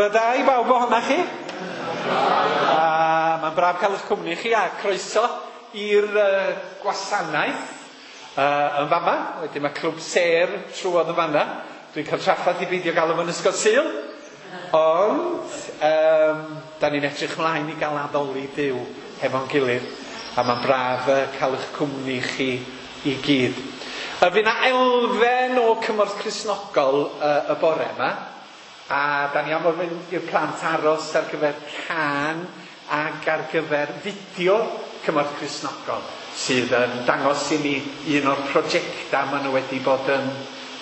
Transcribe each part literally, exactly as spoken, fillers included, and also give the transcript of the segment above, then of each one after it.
Bore da i bawb ohonoch chi. A mae'n braf cael eich cwmni chi a croeso i'r uh, gwasanaeth uh, yn fama. Wedyn mae Clwb Sêr trwodd yn fanna. Dwi'n cael trafferth i beidio galw fo'n Ysgol Sul. Ond um, da ni'n edrych mlaen i gael addoli Duw hefo'n gilydd. A mae'n braf uh, cael eich cwmni chi i gyd. Uh, Fydd 'na elfen o Cymorth Cristnogol uh, y bore yma. A da ni am ofyn i'r plant aros ar gyfer cân ac ar gyfer fideo Cymorth Cristnogol sydd yn dangos i ni un o'r prosiectau maen nhw wedi bod yn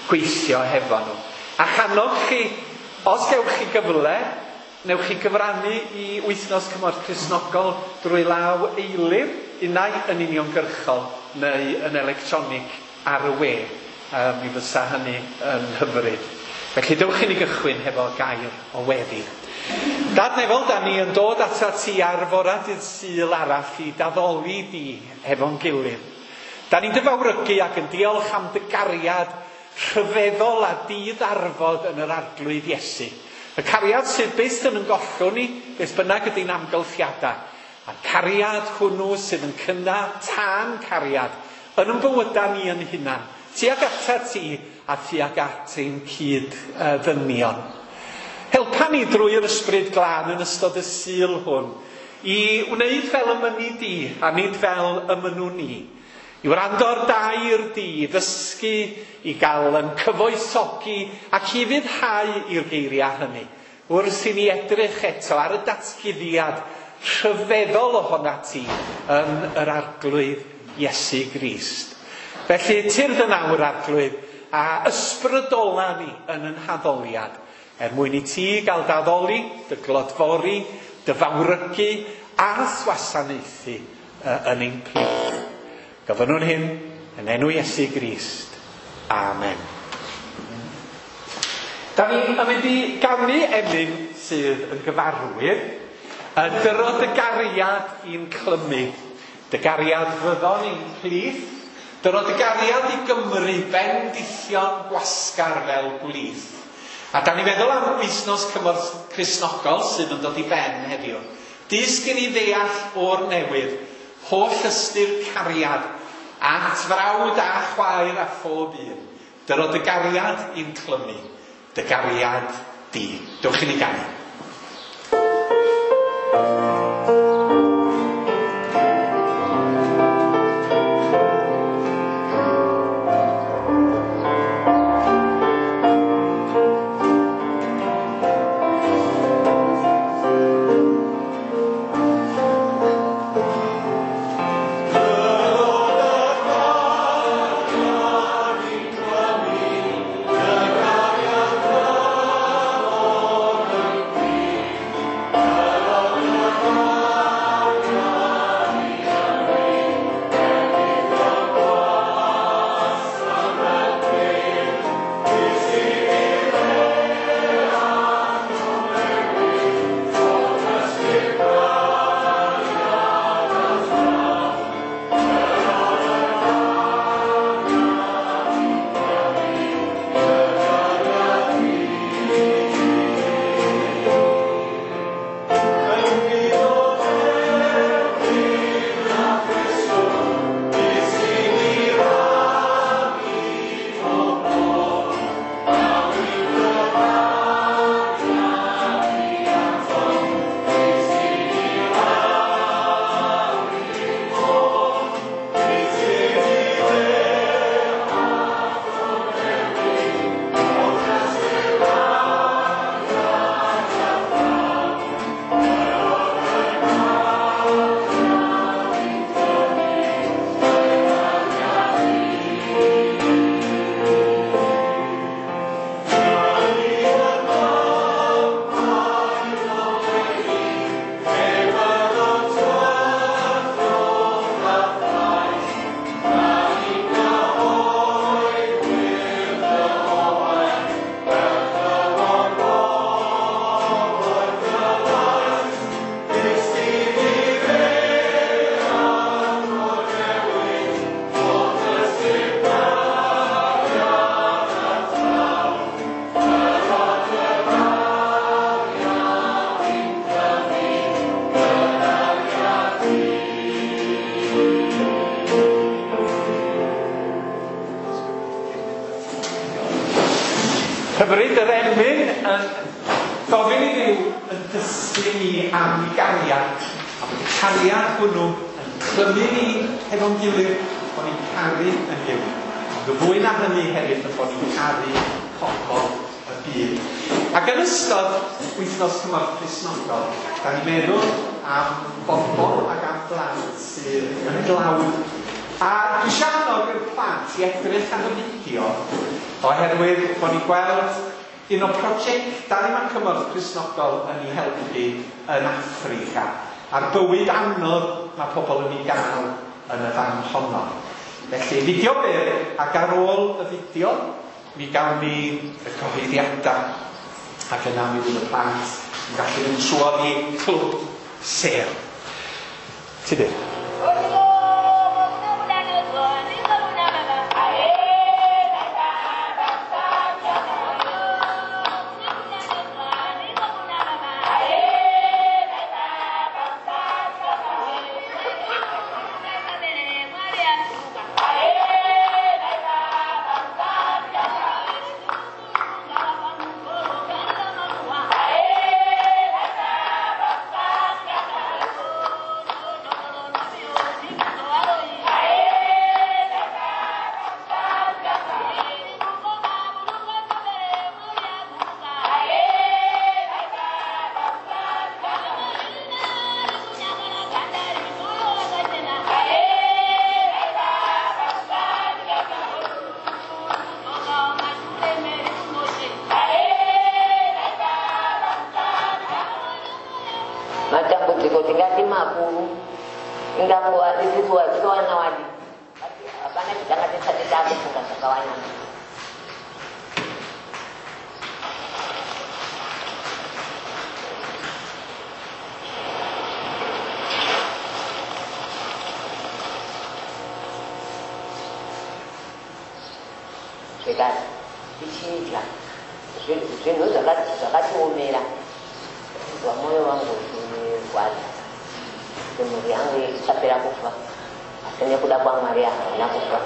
gweithio hefo nhw. A channog chi, os gewch chi gyfle, newch chi gyfrannu i Wythnos Cymorth Cristnogol drwy law eilir, unai yn uniongyrchol neu yn electronig ar y we. Um, mi fysa hynny yn hyfryd. Felly dewch i ni gychwyn hefo gair o weddi. Dad nefol, da ni yn dod atat ti ar fora dydd Sul arall i d'addoli di hefo'n gilydd. Da ni'n dy fawrygu ac yn diolch am dy gariad rhyfeddol a diddarfod yn yr Arglwydd Iesu. Y cariad sydd byth yn yn gollwng ni, beth bynnag ydy'n amgylchiadau. A'r cariad hwnnw sydd yn cynnau tân cariad yn yn bywydau ni yn hunan. Tuag atat ti a tuag at ein cyd ddynion. Helpa ni drwy'r Ysbryd Glân yn ystod y Sul hwn i wneud fel y mynni di a nid fel y mynnwn ni. I wrando ar dair di, i ddysgu, i gael yn cyfoethogi ac i fuddhau i'r geiriau hynny. Wrth i ni edrych eto ar y datguddiad rhyfeddol ohona ti yn yr Arglwydd Iesu Grist. Felly, tyrd yn awr, Arglwydd, a ysbrydola ni yn yn haddoliad, er mwyn i ti gael d'addoli, dy glodfori, dy fawrygu a wasanaethu yn ein plith. Gofynnwn hyn yn enw Iesu Grist. Amen. Da ni yn mynd i ganu emyn sydd yn gyfarwydd. Dyro dy gariad i'n clymu. Dy gariad fyddon i'n plith. Dyro dy gariad i Gymru bendithion gwasgar fel gwlith. A da ni feddwl am Wythnos Cymorth Cristnogol sydd yn dod i ben heddiw. Dysg i ni ddeall o'r newydd holl ystyr cariad at frawd a chwaer a phob un. Dyro dy gariad i'n clymu, dy gariad di. Dewch i ni ganu. Thank you. Hyfryd yr emyn yn gofyn i Dduw yn dysgu ni am ei gariad, a bod y cariad hwnnw yn clymu ni hefo'n gilydd, bod ni'n caru yn gilydd. Ond y fwy na hynny hefyd, yn bod ni'n caru pobl y byd. Ac yn ystod wythnos Cymorth Cristnogol, da ni'n meddwl am bobl ac am blant sydd yn dlawd. A dwi eisiau annog i'r plant i edrych ar y fideo, oherwydd bod ni'n gweld un o prosiectau mae Cymorth Cristnogol yn ei helpu yn Affrica, a'r bywyd anodd mae pobl yn ei gael yn y fan honno. Felly, fideo byr, ac ar ôl y fideo, mi gawn ni y cyhoeddiadau, ac yna mi fydd y plant yn gallu mynd trwodd i Clwb Sêr. Tudur. Matambudziko tingati makuru, ingakuwa isusu vana wadi hapana chitanga tisati takufunga zvakawanda. Zvekare tichidya zvinhu zvakatiomera, mwoyo wangu uchirwadza kuti mhuri yangu ichapera kufa, asi nekuda kwaMwari haina kufa.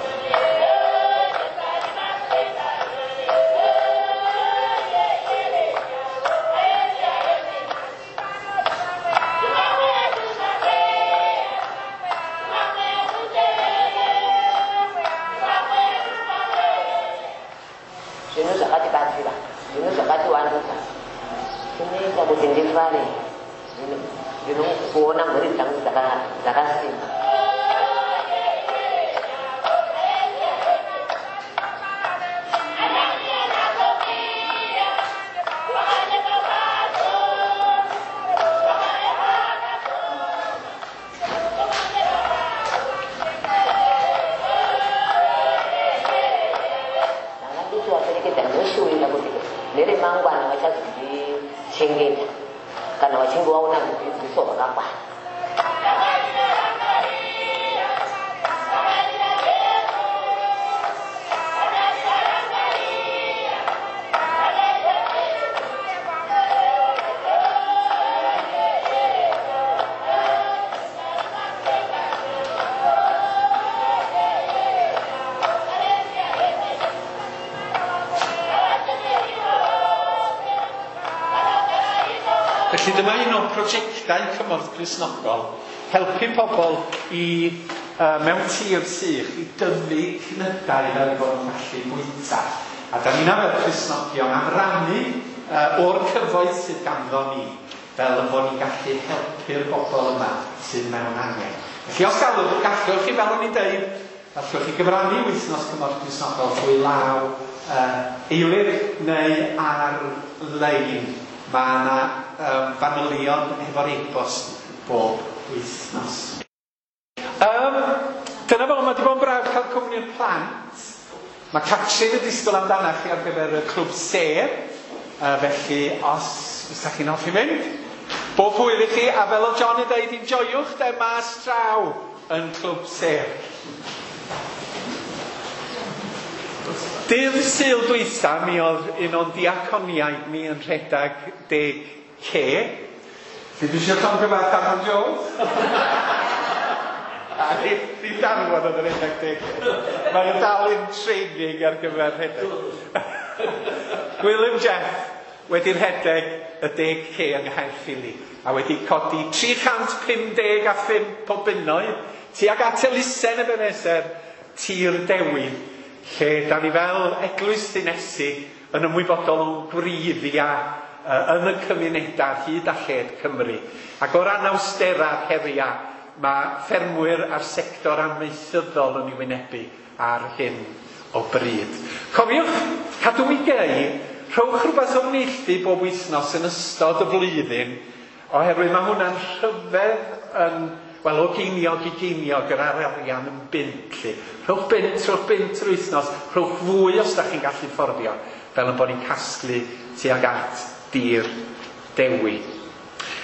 Zvinhu zvakatibatsira, zvinhu zvakatiwandudza, zvinoita kuti ndifare ndinokuona mhuri dzangu dzakasimba. Ndanga ndichivaperekedza ndoshuwira kuti neremangwana vachazondichengeta kana vachinge vaona rudzidziso rwakakwana. Felly dyma un o'r prosiectau Cymorth Cristnogol, helpu pobl i uh, mewn tir sych i dyfu cnydau fel eu bod nhw'n gallu bwyta. A da ni'n fel Cristnogion am rannu uh, o'r cyfoeth sydd ganddo ni, fel y bod ni'n gallu helpu'r bobl yma sydd mewn angen. Felly os gallwch, gallwch chi, fel o'n i'n deud, gallwch chi gyfrannu wythnos Cymorth Cristnogol trwy law uh, eilyr neu ar-lein. Mae yna um, fanylion hefo'r e-bost bob wythnos. Um, dyna fo, mae wedi bod yn braf cael cwmni'r plant. Mae Catrin yn disgwyl amdanach chi ar gyfer y Clwb Sêr, uh, felly os ydych chi'n hoffi mynd, bob hwyl i chi, a fel oedd John yn dweud, enjoiwch de mas draw yn Clwb Sêr. Dydd Sul dwytha, mi oedd un o'n diaconiaid ni yn rhedeg deg K. Fi dwi eisiau llongyfarch Adam Jones. A di darfod oedd yn rhedeg deg K. Mae'n dal in training ar gyfer rhedeg. Gwilym Jeff wedi rhedeg y deg K yng Nghaerffili a wedi codi tri chant pum deg a phump o bunnoedd tuag at elusen Ebenezer Tir Dewi, lle da ni fel eglwys ddinesig yn ymwybodol o'n gwreiddiau yn y cymunedau hyd a lled Cymru. Ac o'r anawsterau'r heriau, mae ffermwyr a'r sector amaethyddol yn ei wynebu ar hyn o bryd. Cofiwch, cadw i gei, rhowch rhywbeth o'r neilltu bob wythnos yn ystod y flwyddyn, oherwydd mae hwnna'n rhyfedd yn, wel, o geiniog i geiniog yr arian yn bunt, lly. Rhowch bunt, rhowch bunt yr wythnos, rhowch fwy os da chi'n gallu fforddio, fel yn bod ni'n casglu tuag at Dir Dewi.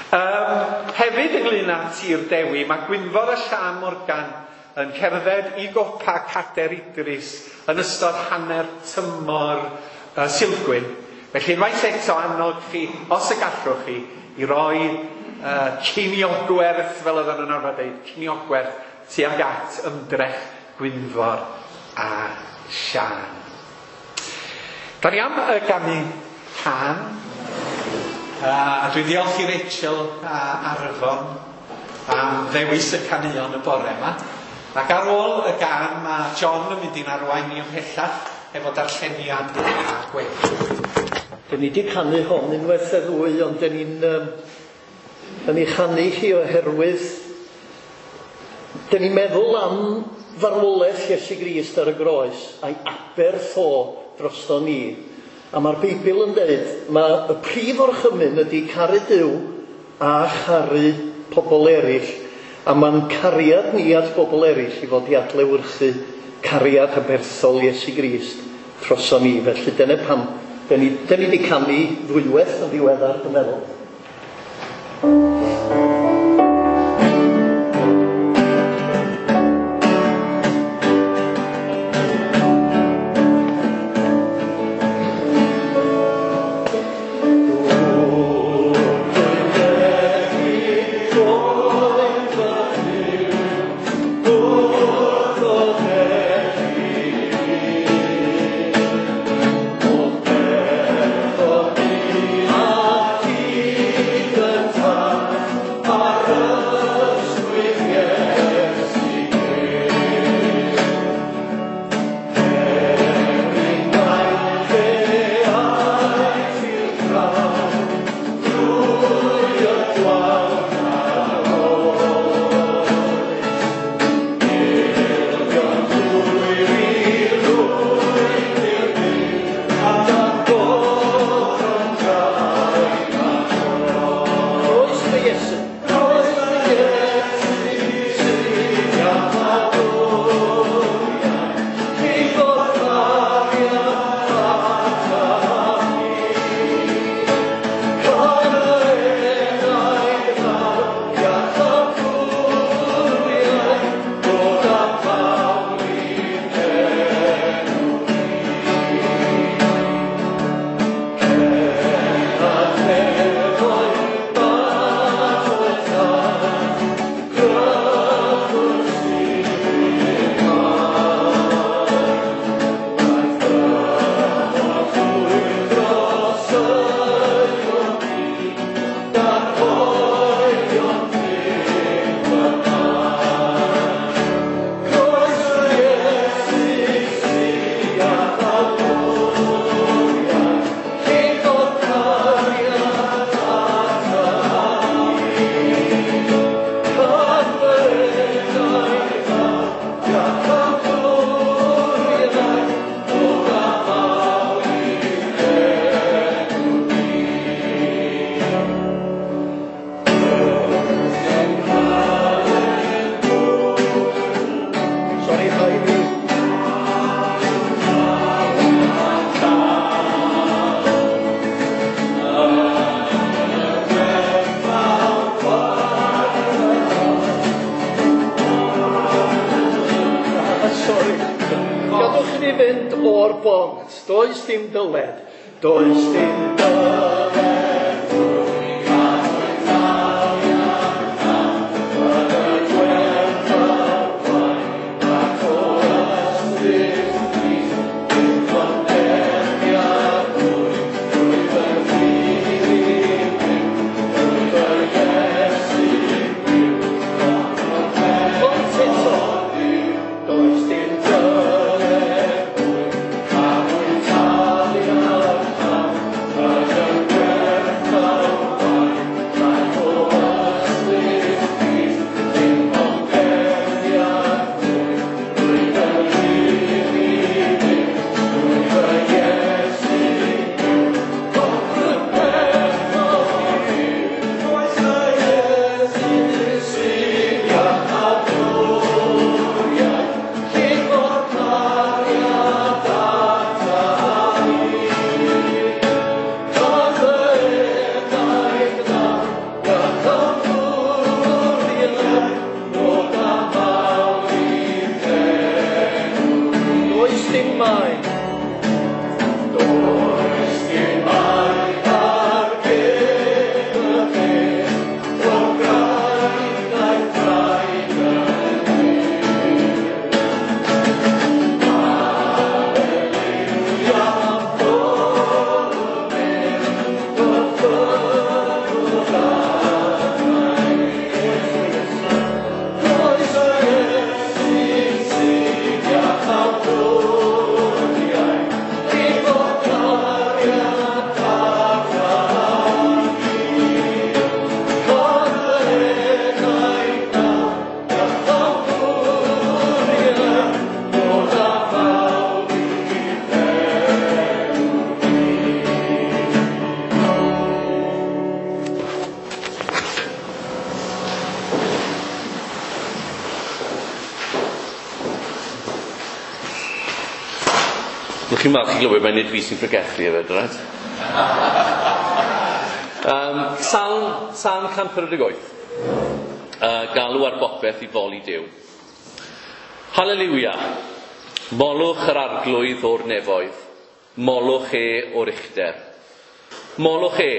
Um, hefyd ynglyn â Tir Dewi, mae Gwynfor a Sian Morgan yn cerdded i gopa Cader Idris yn ystod hanner tymor uh, Silgwyn. Felly unwaith eto annog chi, os y gallwch chi, i roi uh, ceiniogwerth, fel oedden nhw'n arfer dweud, ceiniogwerth tuag at ymdrech Gwynfor a Sian. Da ni am y ganu can. Uh, a dwi'n diolch i Rachel a Arfon am ddewis y caneuon y bore yma. Ac ar ôl y gân, mae John yn mynd i'n arwain ni ymhellach efo darlleniad a gweddi. Dyn ni wedi canu hon unwaith neu ddwy, ond dyn ni'n um, dyn ni chanu hi oherwydd dyn ni'n meddwl am farwolaeth Iesu Grist ar y groes a'i aberth o drosto ni. A mae'r Beibl yn dweud, mae y prif orchymyn ydy caru Duw a charu pobl eraill. A mae'n cariad ni at bobl eraill i fod i adlewyrchu cariad aberthol Iesu Grist droso ni. Felly dyna pam, dyn ni, dyn ni wedi canu ddwywaith yn ddiweddar, dwi'n meddwl. Does dim dyled, does dim dyled. Yeah. Chi'n falch i glywed, mae'n nid fi sy'n pregethu hefyd, right? Um, Salm, Salm cant pedwar deg wyth. Uh, galw ar bopeth i foli Duw. Haleliwia. Molwch yr arglwydd o'r nefoedd. Molwch e o'r uchder. Molwch e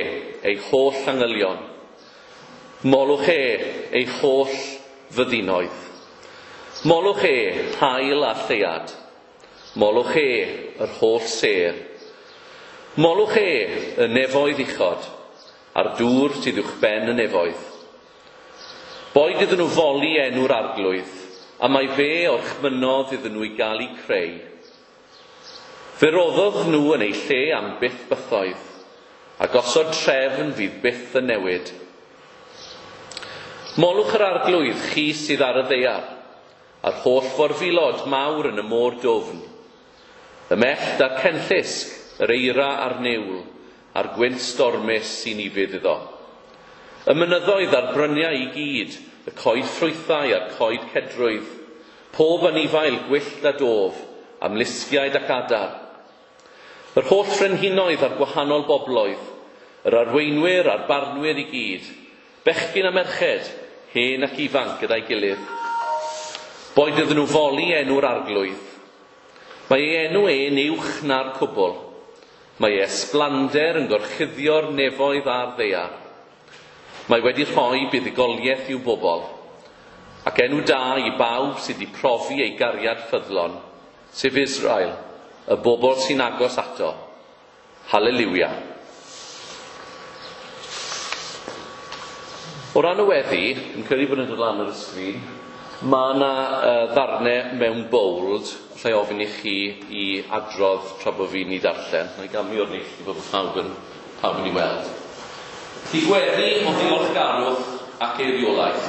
ei holl angylion. Molwch e ei holl fyddinoedd. Molwch e haul a lleuad. Molwch e yr holl sêr. Molwch e y nefoedd uchod, a'r dŵr sydd uwchben y nefoedd. Boed iddyn nhw foli enw'r arglwydd, a mae fe orchmynnodd iddyn nhw i gael eu creu. Fe roddodd nhw yn eu lle am byth bythoedd, a gosod trefn fydd byth yn newid. Molwch yr arglwydd chi sydd ar y ddaear, a'r holl forfilod mawr yn y môr dwfn. Y mellt a'r cenllysg, yr eira a'r niwl, a'r gwynt stormus sy'n ufudd iddo. Y mynyddoedd a'r bryniau i gyd, y coed ffrwythau a'r coed cedrwydd, pob anifail gwyllt a dof, amlusgiaid ac adar. Yr holl frenhinoedd a'r gwahanol bobloedd, yr arweinwyr a'r barnwyr i gyd, bechgyn a merched, hen ac ifanc gyda'i gilydd. Boed iddyn nhw foli enw'r arglwydd. Mae ei enw e'n uwch na'r cwbl. Mae ei ysblander yn gorchuddio'r nefoedd a'r ddaear. Mae wedi rhoi buddugoliaeth i'w bobl, ac enw da i bawb sydd wedi profi ei gariad ffyddlon, sef Israel, y bobl sy'n agos ato. Haleliwia. O ran y weddi, yn credu bod yn dod lan ar y sgrin, mae yna uh, ddarnau mewn bold, allai ofyn i chi i adrodd tra bod fi'n ei darllen. Na i gamu o'r neilltu bod pawb yn, pawb yn ei weld. Felly gweddi o ddiolchgarwch ac eiriolaeth.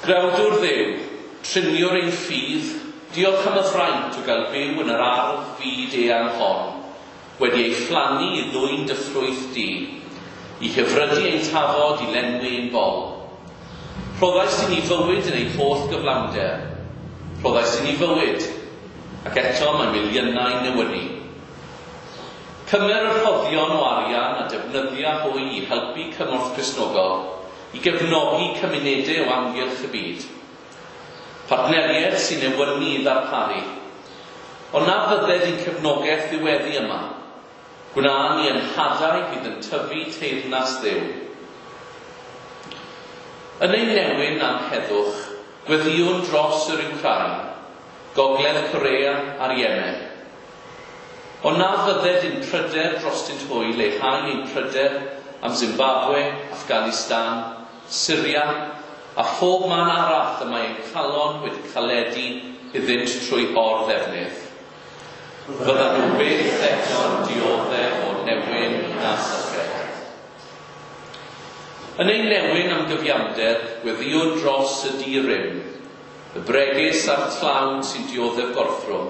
Grawdwr Dduw, triniwr ein ffydd, diolch am y fraint o gael byw yn yr ardd fyd eang hon, wedi ei phlannu i ddwyn dy ffrwyth di, i hyfrydu ein tafod i lenwi ein bol. Rhoddais i ni fywyd yn ei holl gyflawnder. Rhoddais i ni fywyd, ac eto mae miliynau newynu. Cymer y rhoddion o arian a defnyddia hwy i helpu cymorth Cristnogol, i gefnogi cymunedau o amgylch y byd. Partneriaid sy'n newynu i ddarparu. Ond na fydded i'n cefnogaeth ddiweddu yma. Gwna ni yn hadau fydd yn tyfu teyrnas Dduw. Yn ein newyn am heddwch, gweddïwn dros yr Wcráin, Gogledd Corea a'r Yemen. Ond na fydded ein pryder drostynt hwy leihau ein pryder am Zimbabwe, Afghanistan, Syria a phob man arall y mae ein calon wedi caledu iddynt trwy or-ddefnydd. Fyddan nhw byth eto'n dioddef o newyn na syched. Yn ein newyn am gyfiawnder, gweddïwn dros y di-rym, y bregus a'r tlawd sy'n dioddef gorthrwm.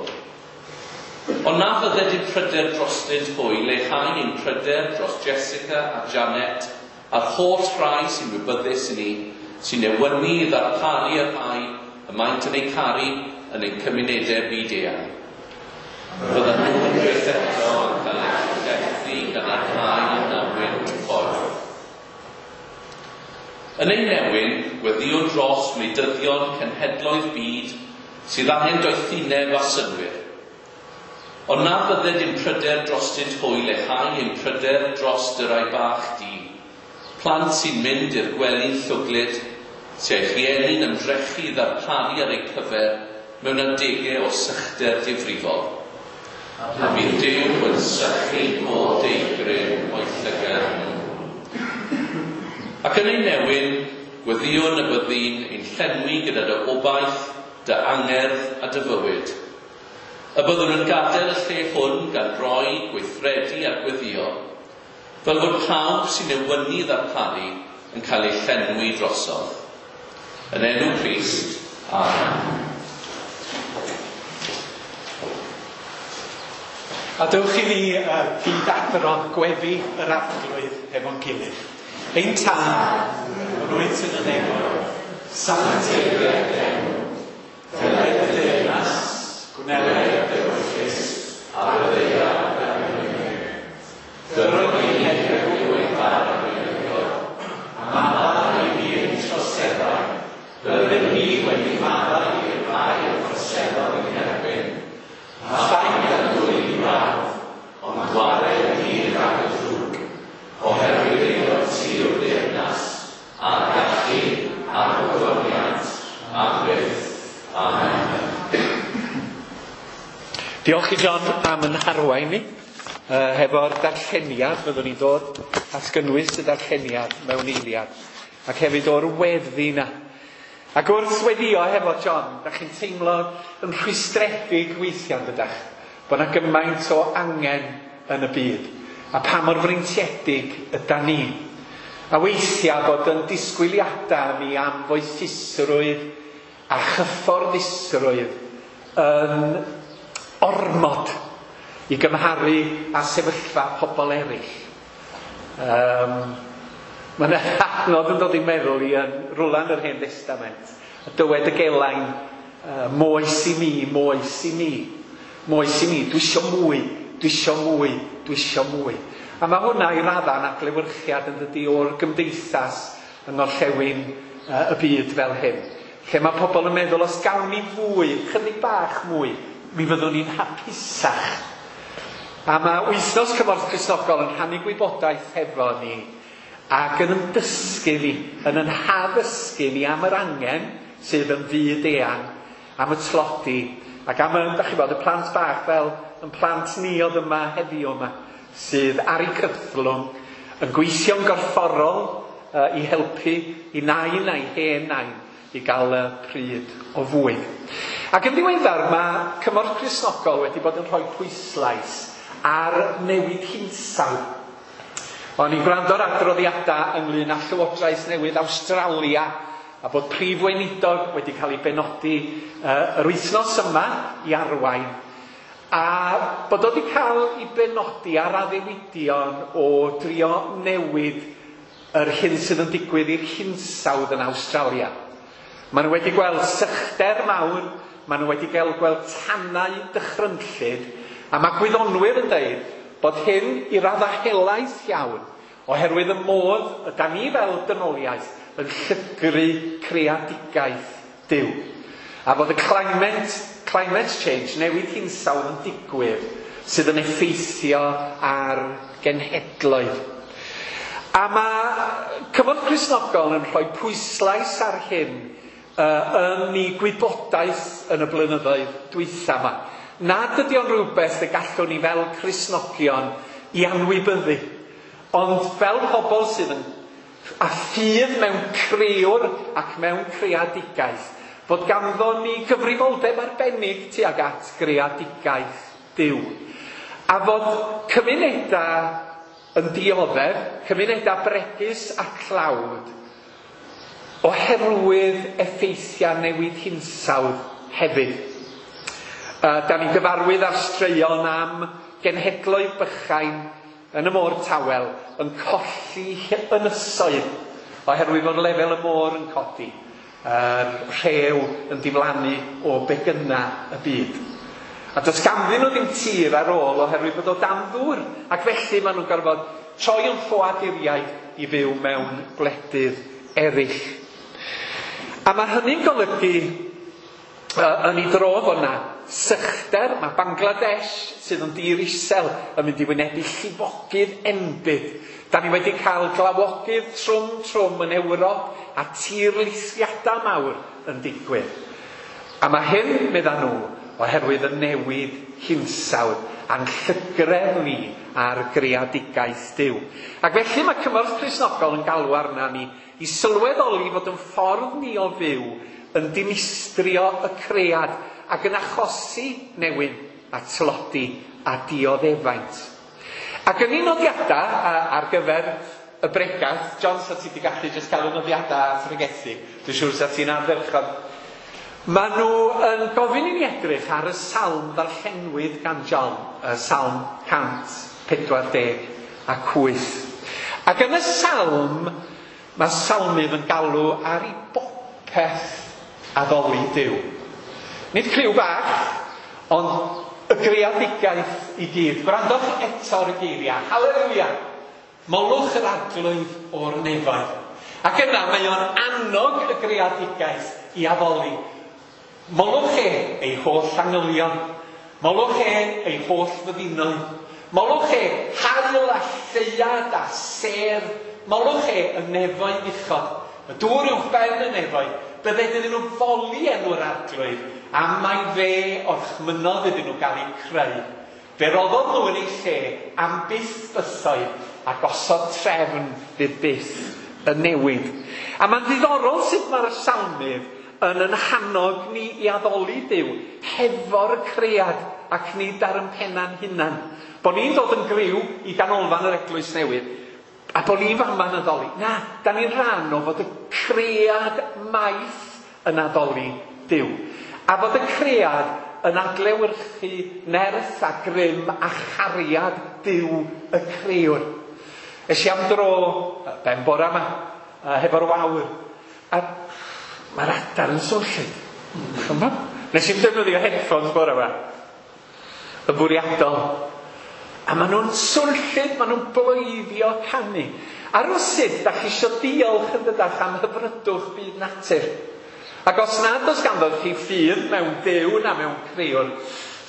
Ond na fydded ein pryder drostynt hwy leihau ein pryder dros Jessica a Janet a'r holl rhai sy'n wybyddus i ni, sy'n newynu i ddarparu y rhai y maent yn eu caru yn ein cymunedau byd eang. Fyddan nhw'n byth eto yn cael eu llethu gan y rhai na wynt ffordd. Yn ein newyn, gweddïwn dros wleidyddion cenhedloedd byd sydd angen doethineb a synnwyr. Ond na fydded ein pryder drostynt hwy leihau ein pryder dros dy rai bach di, plant sy'n mynd i'r gwely'n llwglyd, sy'n eu rhieni'n ymdrechu i ddarparu ar eu cyfer mewn adegau o sychder difrifol. A bydd Duw yn sychu pob deigryn o'i llygad nhw. Ac yn ein newyn, gweddïwn y byddi'n ein llenwi gyda dy obaith, dy angerdd a dy fywyd. Y byddwn yn gadael y lle hwn gan roi, gweithredu a gweddïo, fel fod pawb sy'n newynu i ddarparu yn cael eu llenwi drosodd. Yn enw Crist, amen. A dewch i ni uh, gyd-adrodd gweddi yr Arglwydd efo'n gilydd. Ein Tad, yr wyt yn y nefoedd, sancteiddied dy enw. Deled dy deyrnas, gwna Gwnewch ewyllys ar y ddaear fel yn y nef. Dyro ni heddiw ein bara beunyddiol, a maddau i ni ein troseddau, fel ydym ni wedi maddau i'r rhai a throseddodd ein herbyn. A phaid â'n dwyn i brawf, ond gwared ni rhag y drwg, oherwydd eiddo ti yw'r deyrnas, a'r gallu, a'r gogoniant, am byth. Amen. Diolch i John am yn harwain ni. Uh, hefo'r darlleniad, fyddwn ni'n dod at gynnwys y darlleniad mewn eiliad. Ac hefyd o'r weddi na. Ac wrth weddio hefo John, da chi'n teimlo yn rhwystredig weithiau, dydach, bod yna gymaint o angen yn y byd. A pa mor freintiedig yda ni. A weithiau bod yn disgwyliadau ni am foethusrwydd a chyfforddusrwydd yn ormod i gymharu â sefyllfa pobl eraill. Um, Mae yna adnod yn dod i'n meddwl i yn rwla yn yr Hen Destament. A dywed y gelain, uh, moes i mi, moes i mi, moes i mi, dwi isio mwy, dwi isio mwy, dwi isio mwy. A mae hwnna i radda'n adlewyrchiad yn dydi o'r gymdeithas yng ngorllewin uh, y byd fel hyn. Lle mae pobl yn meddwl, os gawn ni fwy, chydig bach mwy, mi fyddwn ni'n hapusach. A mae Wythnos Cymorth Cristnogol yn rhannu gwybodaeth hefo ni ac yn ymdysgu ni, yn yn haddysgu ni am yr angen sydd yn fyd eang, am y tlodi, ac am y, da chi bod, y plant bach fel yn plant ni oedd yma heddiw yma, sydd ar eu cythlwng, yn gweithio'n gorfforol uh, i helpu i nain a'i hen nain i gael y pryd o fwyd. Ac yn ddiweddar mae Cymorth Cristnogol wedi bod yn rhoi pwyslais ar newid hinsawdd. O'n i'n gwrando ar adroddiadau ynglyn â Llywodraeth Newydd Awstralia a bod prif weinidog wedi cael ei benodi uh, yr wythnos yma i arwain, a bod o wedi cael ei benodi ar addewidion o drio newid yr hyn sydd yn digwydd i'r hinsawdd yn Awstralia. Maen nhw wedi gweld sychder mawr, maen nhw wedi gael gweld tanau dychrynllyd, a mae gwyddonwyr yn dweud bod hyn i raddau helaeth iawn, oherwydd y modd yda ni fel dynoliaeth yn llygru creadigaeth Duw. A bod y climate, climate change, newid hinsawdd yn digwydd, sydd yn effeithio ar genhedloedd. A mae Cymorth Cristnogol yn rhoi pwyslais ar hyn uh, yn ei gwybodaeth yn y blynyddoedd dwytha yma. Nad ydy o'n rhywbeth y gallwn ni fel Cristnogion i anwybyddu, ond fel pobl sydd yn a ffydd mewn crëwr ac mewn creadigaeth, fod ganddo ni gyfrifoldeb arbennig tuag at greadigaeth Duw. A fod cymunedau yn dioddef, cymunedau bregus a tlawd, oherwydd effeithiau newid hinsawdd hefyd. Uh, da ni'n gyfarwydd ar straeon am genhedloedd bychain yn y môr tawel yn colli ynysoedd oherwydd fod lefel y môr yn codi, yr rhew yn diflannu o begynna y byd. A does ganddyn nhw ddim tir ar ôl oherwydd bod o dan ddŵr, ac felly maen nhw'n gorfod troi yn ffoaduriaid i fyw mewn gwledydd eraill. A mae hynny'n golygu uh, yn ei dro fod na sychder, mae Bangladesh sydd yn dir isel yn mynd i wynebu llifogydd enbyd. Da ni wedi cael glawogydd trwm trwm yn Ewrop a tirlithriadau mawr yn digwydd. A mae hyn, medda nhw, oherwydd y newid hinsawdd a'n llygredd ni ar greadigaeth Duw. Ac felly mae Cymorth Cristnogol yn galw arna ni i sylweddoli fod yn ffordd ni o fyw yn dinistrio y cread ac yn achosi newyn a tlodi a dioddefaint. Ac yn ei nodiadau ar gyfer y bregath, John, sa ti wedi gallu jyst cael y nodiadau a phregethu, dwi'n siŵr sa ti'n ardderchog. Maen nhw yn gofyn i ni edrych ar y salm ddarllenwyd gan John, y salm cant pedwar deg ac wyth. Ac yn y salm, mae salmydd yn galw ar ei bopeth addoli Duw. Nid criw bach, Ond y greadigaeth i gyd. Gwrandwch eto ar y geiriau. Haleluia! Molwch yr Arglwydd o'r nefoedd. Ac yna mae o'n annog y greadigaeth i addoli. Molwch e ei holl angylion. Molwch e ei holl fyddinoedd. Molwch e haul a lleuad a sêr. Molwch e y nefoedd uchod. Y dŵr uwch ben y nefoedd. Bydded iddyn nhw foli enw'r Arglwydd, am mai fe orchmynnodd iddyn nhw gael eu creu. Fe roddodd nhw yn eu lle am byth bythoedd a gosod trefn fydd byth yn newid. A mae'n ddiddorol sut mae'r salmydd yn yn hannog ni i addoli Duw hefo'r cread ac nid ar yn penna'n hunan. Bo ni'n dod yn griw i ganolfan yr eglwys newydd a bo ni'n fama'n addoli. Na, da ni'n rhan o fod y cread maith yn addoli Duw. A fod y cread yn adlewyrchu nerth a grym a chariad Duw y crëwr. Es i am dro ben bora yma, hefo'r wawr, a mae'r adar yn swnllyd. Nes i'm defnyddio headphones bora yma, yn fwriadol. A maen nhw'n swnllyd, maen nhw'n bloeddio canu. A rywsut, da chi isio diolch yn dydach am hyfrydwch byd natur. Ac os nad oes ganddo chi ffydd mewn Duw na mewn crëwr,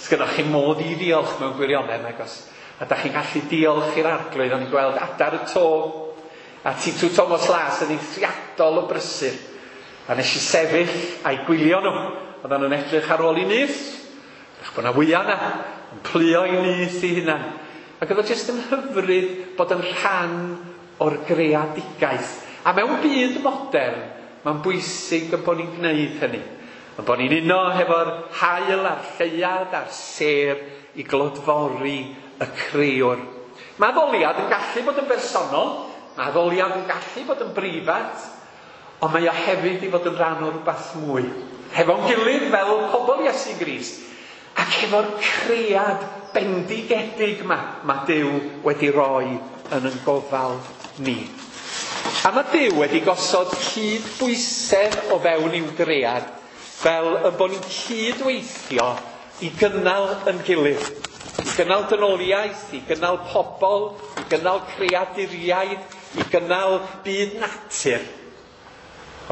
sgynnoch chi modd i ddiolch mewn gwirionedd, nag oes. A da chi'n gallu diolch i'r Arglwydd. O'n i'n gweld adar y to a Titw Thomas Las yn eithriadol o brysur. A nes i sefyll a'i gwylio nhw. Oedden nhw'n edrych ar ôl i nyth. Ych bod 'na wya yna, yn pluo i nyth i hunan. Ac oedd o jyst yn hyfryd bod yn rhan o'r greadigaeth. A mewn byd modern, mae'n bwysig yn bod ni'n gwneud hynny. Yn bod ni'n uno hefo'r haul a'r lleuad a'r sêr i glodfori y crëwr. Mae addoliad yn gallu bod yn bersonol, mae addoliad yn gallu bod yn breifat, ond mae o hefyd i fod yn rhan o rhywbeth mwy. Hefo'n gilydd fel pobl Iesu Grist, ac hefo'r cread bendigedig yma, mae Duw wedi roi yn yn gofal ni. A mae Duw wedi gosod cydbwysedd o fewn i'w gread, fel y bod ni'n cydweithio i gynnal yn gilydd. I gynnal dynoliaeth, i gynnal pobl, i gynnal creaduriaid, i gynnal byd natur.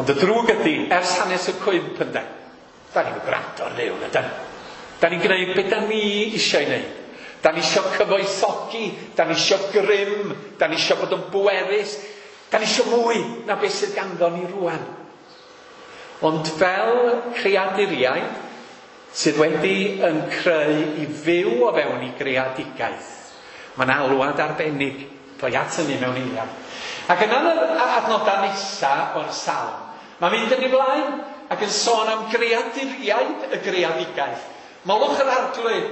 Ond y drwg ydy, ers hanes y cwymp ynde, da ni'n gwrando ar Dduw, yndyn? Da ni'n gwneud beth da ni eisiau ei wneud. Da ni eisiau cyfoethogi, da ni eisiau grym, da ni eisiau bod yn bwerus, da ni eisiau mwy na beth sydd ganddo ni rwan. Ond fel creaduriaid sydd wedi yn creu i fyw o fewn i greadigaeth, mae'n alwad arbennig. Doi at hynny mewn eiliad. Ac yna yn yr adnodau nesaf o'r salm, mae'n mynd yn ei flaen ac yn sôn am greaduriaid y greadigaeth. Molwch yr Arglwydd,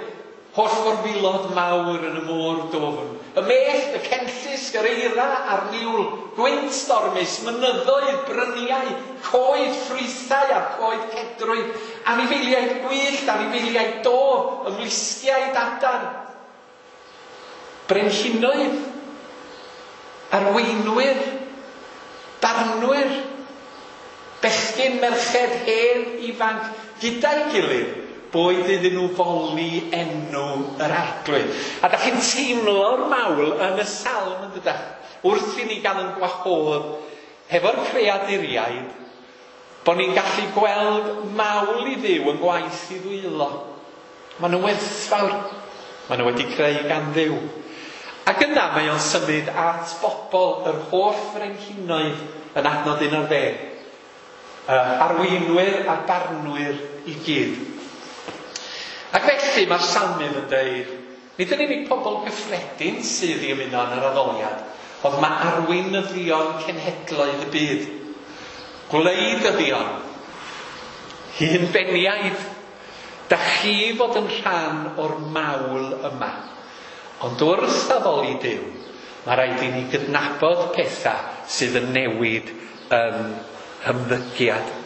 holl forfilod mawr yn y môr dwfn. Y mellt, y cenllysg, yr eira a'r niwl, gwynt stormus, mynyddoedd, bryniau, coed ffrwythau a'r coed cedrwydd, anifeiliaid gwyllt, anifeiliaid dof, ymlusgiaid adar. Brenhinoedd, arweinwyr, barnwyr, bechgyn, merched, hen, ifanc, gyda'i gilydd, boed iddyn nhw foli enw yr Arglwydd. A da chi'n teimlo'r mawl yn y salm yn dydach, wrth i ni gael yn gwahodd hefo'r creaduriaid, bod ni'n gallu gweld mawl i Dduw yn gwaith i ddwylo. Maen nhw'n werthfawr. Maen nhw wedi creu gan Dduw. Ac yna mae o'n symud at bobl yr holl frenhinoedd yn adnod un ar ddeg. Arweinwyr a barnwyr i gyd. Ac felly mae'r salmydd yn dweud, nid yn unig pobl gyffredin sydd i ymuno yn yr addoliad, ond mae arweinyddion cenhedloedd y byd, gwleidyddion, hunbeniaid, da chi fod yn rhan o'r mawl yma. Ond wrth addoli Duw, mae rhaid i ni gydnabod pethau sydd yn newid yn hymddygiad.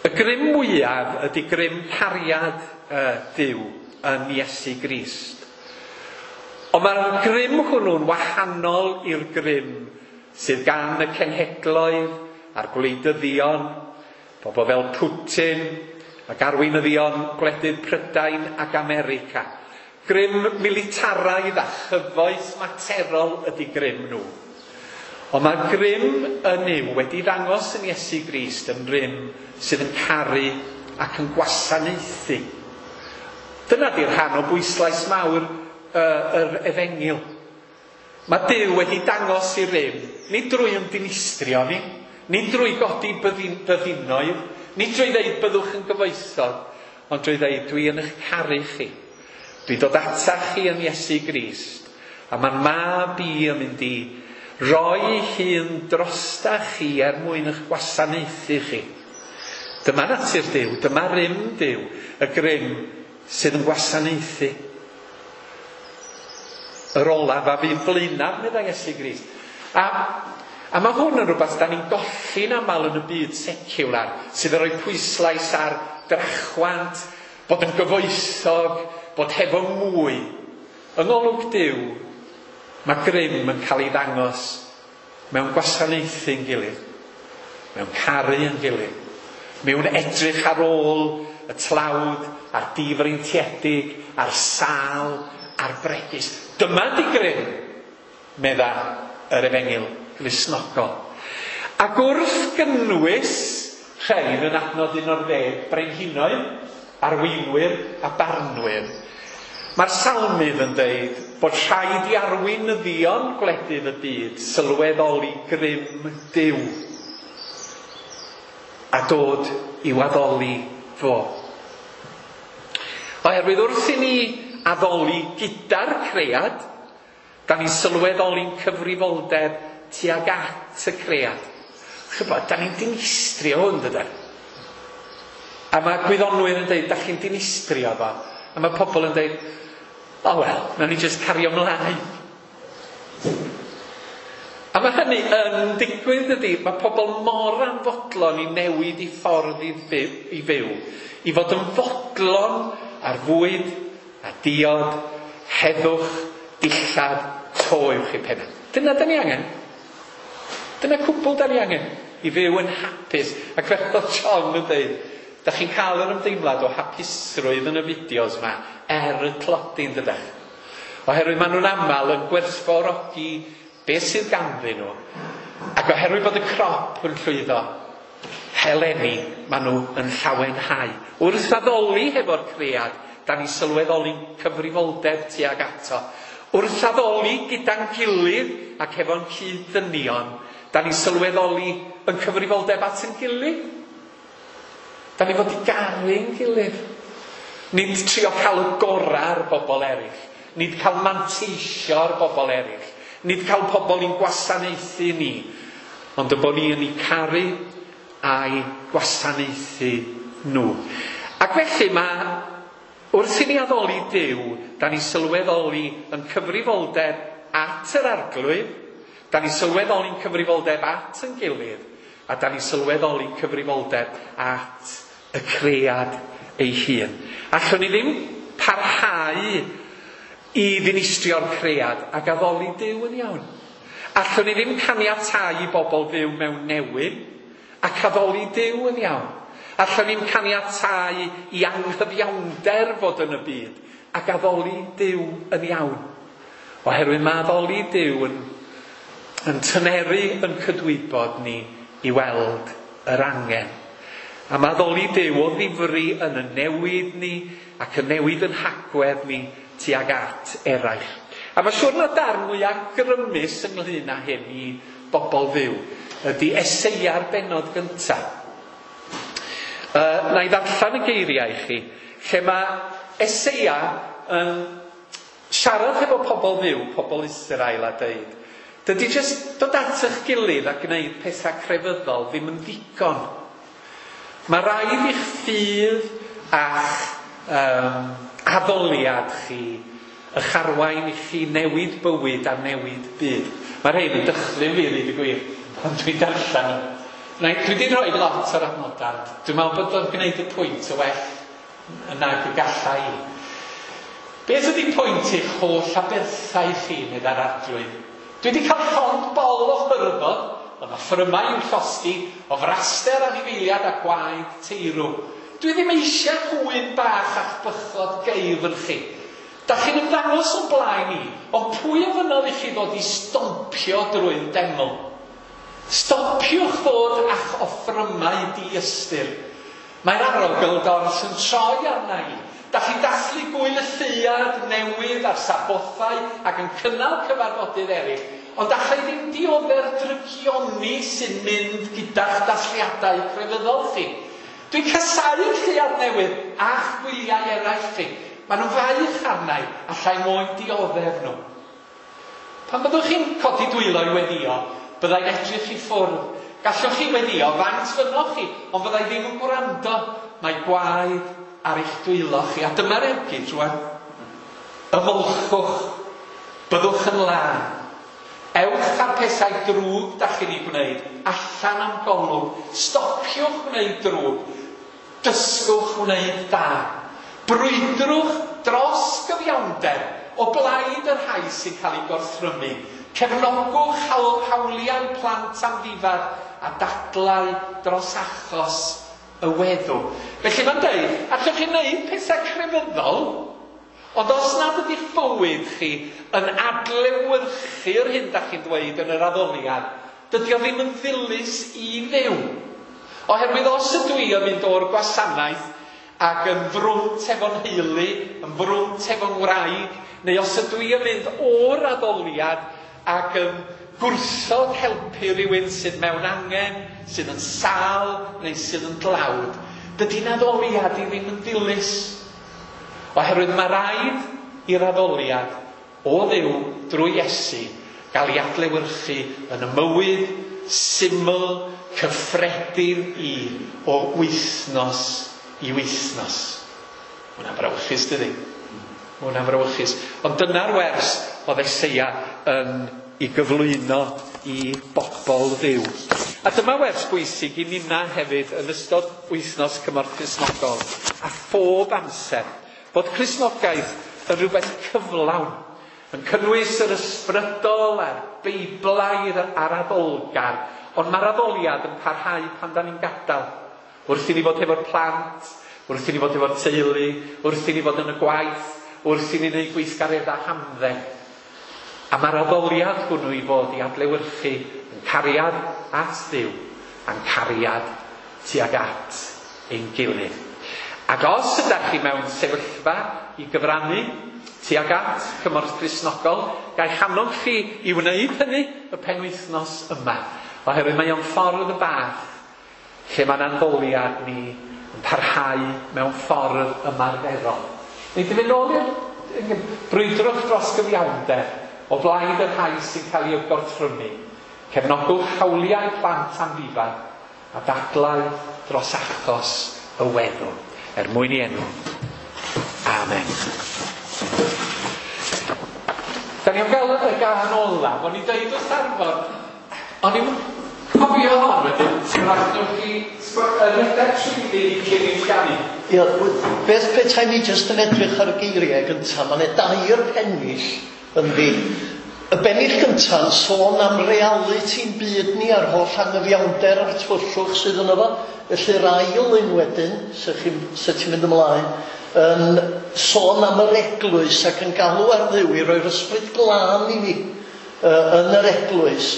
Y grym mwyaf ydy grym cariad uh, Duw yn Iesu Grist. Ond mae'r grym hwnnw'n wahanol i'r grym sydd gan y cenhedloedd a'r gwleidyddion, Pobl fel Putin ac arweinyddion gwledydd Prydain ac America. Grym militaraidd a chyfoeth materol ydy grym nhw. Ond mae grym y Nuw wedi ddangos yn Iesu Grist yn rym sydd yn caru ac yn gwasanaethu. Dyna di'r rhan o bwyslais mawr uh, yr efengyl. Mae Duw wedi dangos i rym, nid drwy ymddinistrio ni, nid drwy godi byddin, byddinoedd, nid drwy ddeud byddwch yn gyfoethog, ond drwy ddeud dwi yn eich caru chi. Dwi'n dod atach chi yn Iesu Grist, a mae'r mab i yn mynd i roi ei hun drosta chi er mwyn eich gwasanaethu chi. Dyma natur Duw, dyma rym Duw, y grym sydd yn gwasanaethu. Yr olaf a fydd blaenaf, meddai Iesu Grist. A, a mae hwn yn rhywbeth da ni'n golli'n aml yn y byd seciwlar, sydd yn rhoi pwyslais ar drachwant, bod yn gyfoethog, bod hefo mwy. Yng ngolwg Duw, mae grym yn cael ei ddangos mewn gwasanaethu'n gilydd, mewn caru yn gilydd, mewn edrych ar ôl y tlawd, a'r difreintiedig, a'r sâl, a'r bregus. Dyma di grym, medda yr efengyl Gristnogol. Ac wrth gynnwys rhain yn adnod un o'r ddeg, brenhinoedd, arweinwyr a barnwyr, mae'r salmydd yn deud bod rhaid i arweinyddion gwledydd y byd sylweddoli grym Duw a dod i'w addoli fo. Oherwydd wrth i ni addoli gyda'r cread, da ni'n sylweddoli'n cyfrifoldeb tuag at y cread. Chybod, da ni'n dinistrio hwn, dydan? A mae gwyddonwyr yn deud, da chi'n dinistrio fo. A mae pobl yn deud, oh well, nawn ni just cario ymlaen. A mae hynny yn digwydd, dydy. Mae pobl mor anfodlon i newid i ffordd i fyw, i fyw. I fod yn fodlon ar fwyd a diod, heddwch, dillad, to uwch eu penna. Dyna da ni angen. Dyna cwbl da ni angen i fyw yn hapus. Ac fel oedd John yn dweud, da chi'n cael yr ymdeimlad o hapusrwydd yn y fideos yma er y tlodi, yn dydach. Oherwydd maen nhw'n aml yn gwerthfawrogi beth sydd ganddyn nhw. Ac oherwydd bod y crop yn llwyddo, heleni, maen nhw yn llawenhau. Wrth addoli hefo'r cread, da ni sylweddoli'n cyfrifoldeb tuag ato. Wrth addoli gyda'n gilydd ac hefo'n cyd-ddynion, da ni sylweddoli yn cyfrifoldeb at yn gilydd. Da ni fod i garu'n gilydd. Nid trio cael y gorau ar bobl eraill. Nid cael manteisio ar bobl eraill. Nid cael pobl i'n gwasanaethu ni. Ond y bod ni yn eu caru a'i gwasanaethu nhw. Ac felly mae, wrth i ni addoli Duw, da ni sylweddoli yn cyfrifoldeb at yr Arglwydd, da ni sylweddoli'n cyfrifoldeb at yn gilydd, a da ni sylweddoli'n cyfrifoldeb at y cread ei hun. Allwn ni ddim parhau i ddinistrio'r cread ac addoli Duw yn iawn. Allwn ni ddim caniatáu i bobl fyw mewn newyn ac addoli Duw yn iawn. Allwn ni'm caniatáu i anghyfiawnder fod yn y byd ac addoli Duw yn iawn. Oherwydd mae addoli Duw yn, yn tyneru yn cydwybod ni i weld yr angen. A mae addoli Duw o ddifri yn y newid ni ac yn newid yn hagwedd ni tuag at eraill. A mae siwr na darn mwyaf grymus ynglyn â hyn i bobl fyw ydy Eseia'r bennod gyntaf. Uh, na i ddarllen y geiriau i chi, lle mae Eseia yn siarad hefo pobl fyw, pobl Israel, a deud, dydy jyst dod at eich gilydd a gwneud pethau crefyddol ddim yn ddigon. Mae rhaid i'ch ffydd a'ch um, addoliad chi, eich arwain i chi newid bywyd a newid byd. Mae rhaid yn dychryn fi, ddeud y gwir, ond dwi'n darllen nhw. Na, dwi wedi rhoi lot o'r adnodau. Dwi'n meddwl bod o'n gwneud y pwynt o well nag y galla i. Beth ydy pwynt eich holl aberthau chi, meddai'r Arglwydd? Dwi wedi cael llond bol o hyrddod Yn offrymau i'w llosgi, o fraster anifeiliad a gwaed teirw. Dwi ddim eisiau gŵyn bach a'ch bychod geifr chi. Da chi'n ymddangos o'n blaen i, ond pwy ofynnodd i chi ddod i stompio drwy'r deml? Stopiwch ddod a'ch offrymau diystyr. Mae'r arogl dors yn troi arna i. Da chi'n dathlu gwyl y lleuad newydd a'r sabothau ac yn cynnal cyfarfodydd eraill, ond allai ddim diodde'r drygioni sy'n mynd gyda'ch dathliadau crefyddol chi. Dwi'n casáu'r lleuad newydd a'ch gwyliau eraill chi. Maen nhw'n faich arna i, allai moyn dioddef nhw. Pan byddwch chi'n codi dwylo i weddio, byddai'n edrych i ffwrdd. Gallwch chi weddio faint fynnoch chi, ond fyddai ddim yn gwrando. Mae gwaed ar eich dwylo chi. A dyma'r ergyd rwan. Ymolchwch, byddwch yn lân. Ewch â'r pethau drwg da chi'n ei gwneud, allan am golwg. Stopiwch wneud drwg. Dysgwch wneud da. Brwydrwch dros gyfiawnder o blaid y rhai sy'n cael eu gorthrymu. Cefnogwch hawliau plant amddifad a dadlau dros achos y weddw. Felly mae'n deud, allwch chi wneud pethau crefyddol, ond os nad ydych bywyd chi yn adlewyrchu'r hyn da chi'n dweud yn yr addoliad, dydy o ddim yn ddilys i Dduw. Oherwydd os ydw i yn mynd o'r gwasanaeth ac yn frwnt efo'n nheulu, yn frwnt efo'n wraig, neu os ydw i yn mynd o'r addoliad ac yn gwrthod helpu rhywun sydd mewn angen, sydd yn sâl neu sydd yn dlawd, dydy'n addoliad i ddim yn ddilys. Oherwydd mae rhaid i'r addoliad o Dduw drwy Iesu gael ei adlewyrchu yn y mywyd syml cyffredin i o wythnos i wythnos. Hwnna'n frawychus, dydy? Hwnna'n frawychus. Ond dyna'r wers oedd Eseia yn ei gyflwyno i bobl Dduw. A dyma wers bwysig i ninna hefyd yn ystod wythnos Cymorth Cristnogol a phob amser, bod Cristnogaeth yn rhywbeth cyflawn, yn cynnwys yr ysbrydol a'r Beiblaidd a'r addolgar, ond mae'r addoliad yn parhau pan da ni'n gadael. Wrth i ni fod efo'r plant, wrth i ni fod efo'r teulu, wrth i ni fod yn y gwaith, wrth i ni wneud gweithgareddau hamdden. A mae'r addoliad hwnnw i fod i adlewyrchu yn cariad at Dduw a'n cariad tuag at ein gilydd. Ac os ydych chi mewn sefyllfa i gyfrannu tuag at Cymorth Cristnogol, ga' i annog chi i wneud hynny y penwythnos yma. Oherwydd mae o'n ffordd bach lle mae'n addoliad ni yn parhau mewn ffordd ymarferol. Neu di fynd nôl i'r brwydrwch dros gyfiawnder o blaid y rhai sy'n cael ei gorthrymu. Cefnogwch hawliau plant amddifad a dadlau dros achos y weddw. Er mwyn i enw. Amen. Da ni am gael y gân olaf. O'n i'n deud wrth Arfon, o'n i'n cofio hon wedyn, rhaid chi rhedeg trwyddi cyn i'n ganu. Ia, beth petai ni jyst yn edrych ar y geiriau gyntaf, mae yna dair pennill ynddi. Y bennill gyntaf yn sôn am realiti'n byd ni a'r holl anghyfiawnder a'r tywyllwch sydd yno fo. Felly'r ail un wedyn, sef ti'n mynd ymlaen, yn sôn am yr eglwys ac yn galw ar Dduw i roi'r ysbryd glân i ni uh, yn yr eglwys.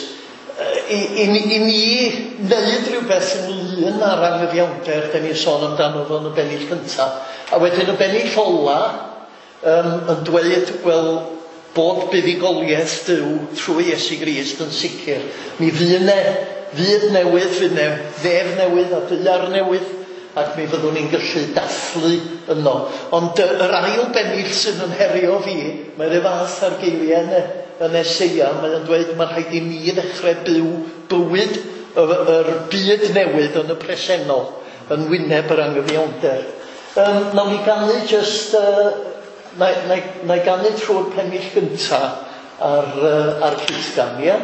I, i, i ni wneud rhywbeth ynglyn â'r anghyfiawnder da ni'n sôn amdano fo yn y bennill gyntaf. A wedyn y bennill ola um, yn dweud, wel, bod buddugoliaeth Duw trwy Iesu Grist yn sicr. Mi fydd ne, fydd newydd, fydd ne, ddef newydd a daear newydd, ac mi fyddwn ni'n gallu dathlu yno. Ond yr ail bennill sydd yn herio fi, mae'r fath ar geiriau yn, yn Eseia, mae'n dweud mae rhaid i ni ddechrau byw bywyd yr, yr byd newydd yn y presennol, yn wyneb yr anghyfiawnder. Um, nawn ni ganu jyst, uh, na, na, na i ganu trwy'r pennill gynta ar, uh, ar cytgan, ia?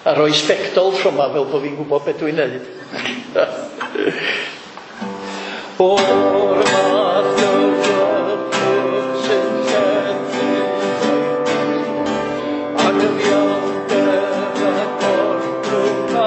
A rhoi sbectol tro yma fel bod fi'n gwybod beth dwi'n neud. O'r math o gyfrif sy'n llethu anghyfiawnder a gorthrwm a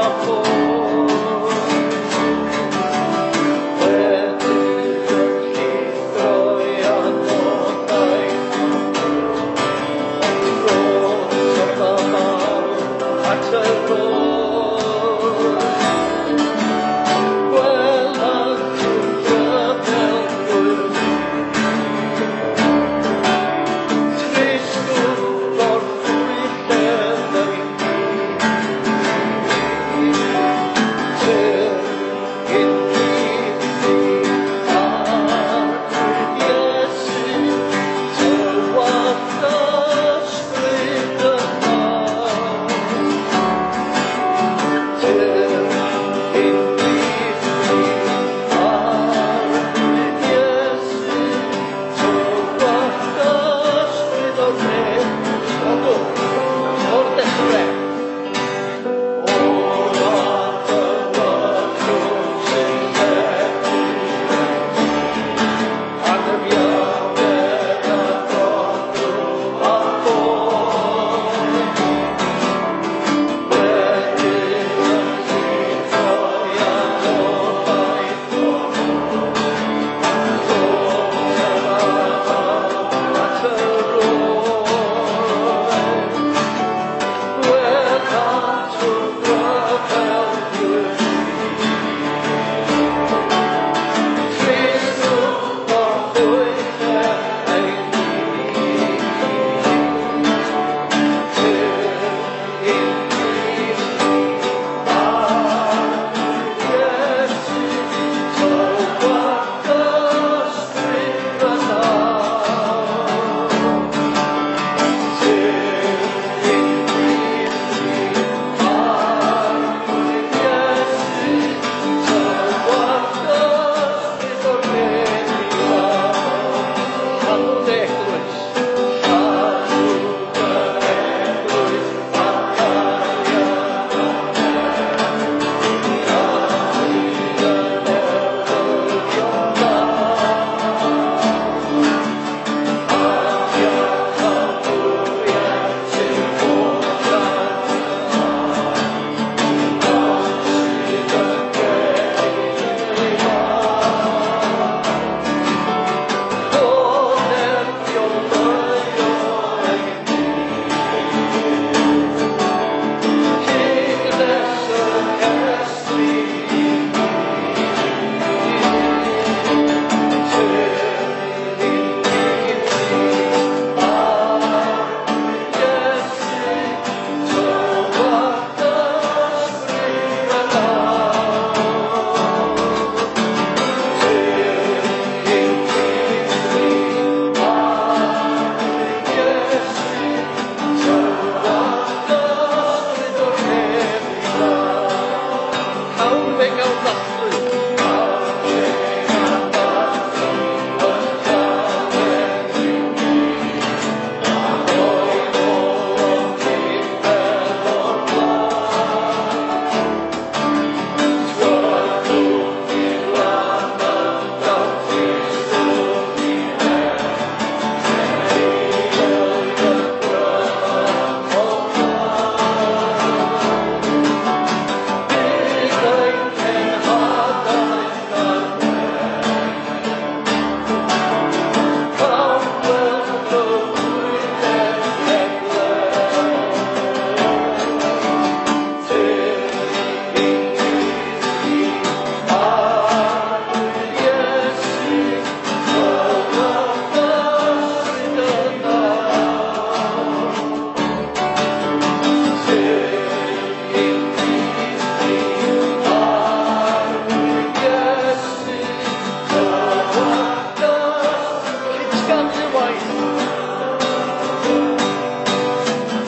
dy waith.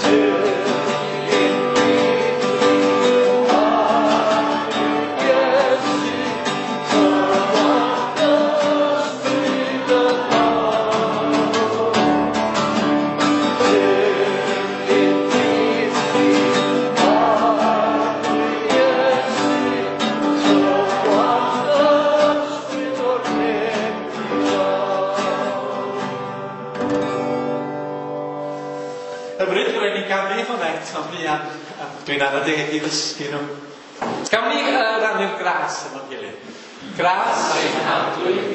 Ty'n Iesu, tywallt ysbryd y haul. Ty'n Iesu, tywallt ysbryd o'r nef i lawr. Hyfryd, rwy'n ni ganu hwnna eto fuan. A Dwi'n ara deg i ddysgu nhw. Gawn ni uh, rannu'r gras efo'n gilydd. Gras ein Harglwydd